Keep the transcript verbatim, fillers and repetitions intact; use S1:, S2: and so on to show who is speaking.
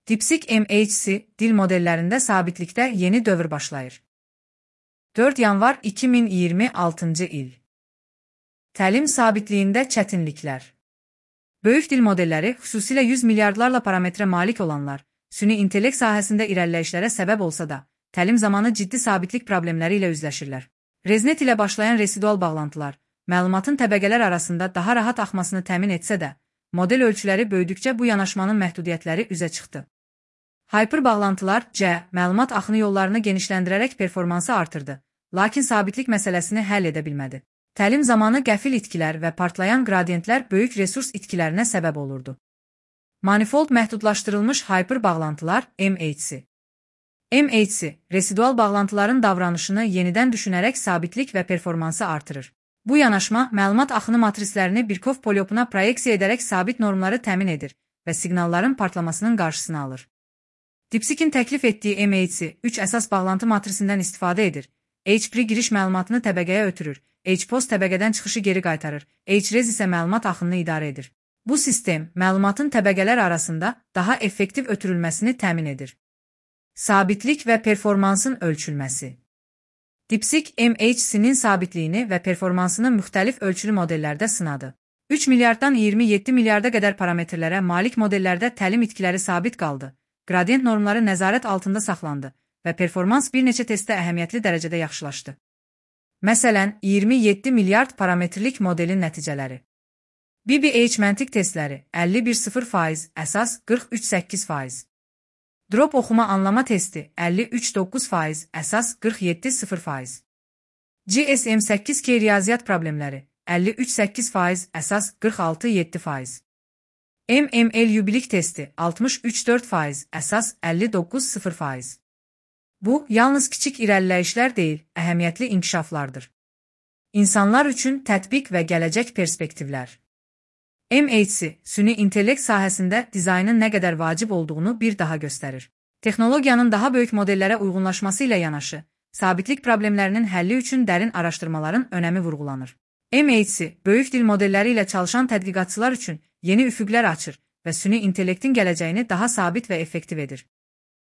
S1: DeepSeek M H C dil modellərində sabitlikdə yeni dövr başlayır. dörd yanvar iki min iyirmi altıncı il. Təlim sabitliyində çətinliklər. Böyük dil modelləri, xüsusilə yüz milyardlarla parametrə malik olanlar, süni intellekt sahəsində irəliləyişlərə səbəb olsa da, təlim zamanı ciddi sabitlik problemləri ilə üzləşirlər. ResNet ilə başlayan residual bağlantılar, məlumatın təbəqələr arasında daha rahat axmasını təmin etsə də, model ölçüləri böyüdükcə bu yanaşmanın məhdudiyyətləri üzə çıxdı. Hyper bağlantılar C, məlumat axını yollarını genişləndirərək performansı artırdı, lakin sabitlik məsələsini həll edə bilmədi. Təlim zamanı qəfil itkilər və partlayan qradiyentlər böyük resurs itkilərinə səbəb olurdu. Manifold məhdudlaşdırılmış hyper bağlantılar M H C. M H C, residual bağlantıların davranışını yenidən düşünərək sabitlik və performansı artırır. Bu yanaşma, məlumat axını matrislərini Birkhoff polyopuna proyeksiya edərək sabit normları təmin edir və siqnalların partlamasının qarşısını alır. DeepSeek'in təklif etdiyi M H C, üç əsas bağlantı matrisindən istifadə edir. H-pre giriş məlumatını təbəqəyə ötürür, H-post təbəqədən çıxışı geri qaytarır, H-res isə məlumat axınını idarə edir. Bu sistem, məlumatın təbəqələr arasında daha effektiv ötürülməsini təmin edir. Sabitlik və performansın ölçülməsi. DeepSeek M H C'nin sabitliyini və performansını müxtəlif ölçülü modellərdə sınadı. üç milyarddan iyirmi yeddi milyarda qədər parametrlərə malik modellərdə təlim itkiləri sabit qaldı, qradiyent normları nəzarət altında saxlandı və performans bir neçə testdə əhəmiyyətli dərəcədə yaxşılaşdı. Məsələn, iyirmi yeddi milyard parametrlik modelin nəticələri. B B H məntiq testləri əlli bir sıfır faiz, əsas qırx üç səkkiz faiz. Drop oxuma anlama testi əlli üç doqquz faiz, əsas qırx yeddi sıfır faiz. G S M səkkiz K riyaziyyat problemləri əlli üç səkkiz faiz, əsas qırx altı yeddi faiz. M M L yubilik testi altmış üç dörd faiz, əsas əlli doqquz sıfır faiz. Bu, yalnız kiçik irəliləyişlər deyil, əhəmiyyətli inkişaflardır. İnsanlar üçün tətbiq və gələcək perspektivlər. M H C, süni intellekt sahəsində dizaynın nə qədər vacib olduğunu bir daha göstərir. Texnologiyanın daha böyük modellərə uyğunlaşması ilə yanaşı, sabitlik problemlərinin həlli üçün dərin araşdırmaların önəmi vurğulanır. M H C, böyük dil modelləri ilə çalışan tədqiqatçılar üçün yeni üfüqlər açır və süni intellektin gələcəyini daha sabit və effektiv edir.